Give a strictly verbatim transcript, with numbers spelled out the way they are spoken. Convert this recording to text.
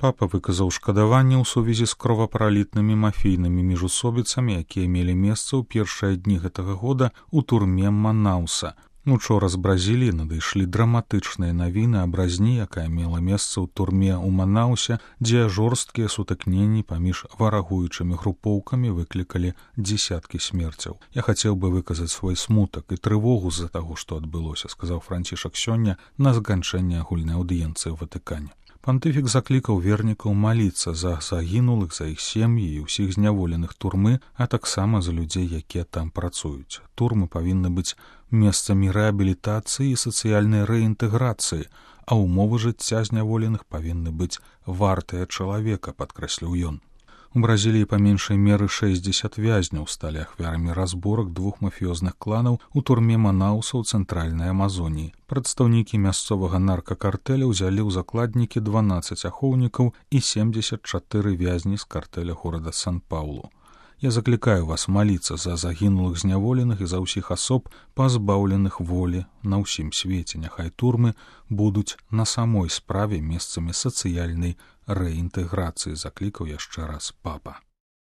Папа выказаў шкадаванне ў сувязі з кровапралітнымі мафійнымі міжусобіцамі, якія мелі месца ў першыя дні гэтага года ў турме Манауса. Учора з Бразіліі надышлі драматычныя навіны аб разні, якая мела месца ў турме ў Манаусе, дзе жорсткія сутыкненні паміж варагуючымі групоўкамі выклікалі дзесяткі смерцяў. Я хацеў бы выказаць свой смутак і трывогу з-за таго, што адбылося, сказаў Францішак сёння на заканчэнні агульнай аўдыенцыі ў Ватыкане. Пантыфік заклікаў вернікаў маліцца за загінулых, за іх сем'і і ўсіх зняволеных турмы, а таксама за людзей, якія там працуюць. Турмы павінны быць месцамі рэабілітацыі і сацыяльнай рэінтэграцыі, а ўмовы жыцця зняволеных павінны быць вартыя чалавека, падкрэсліў ён. У Бразіліі па меншай меры шэсцьдзесят вязняў сталі ахвярамі разборак двух мафіёзных кланаў у турме Манауса ў цэнтральнай Амазоніі. Прадстаўнікі мясцовага наркакартэля ўзялі ў закладнікі дванаццаць ахоўнікаў і семьдесят чатыры вязні з картэля горада Сан-Паулу. Я заклікаю вас маліцца за загінулых зняволеных і за ўсіх асоб, пазбаўленых волі на ўсім свеце. Няхай турмы будуць на самой справе месцамі сацыяльнай рэінтэграцыі, заклікаў яшчэ раз папа.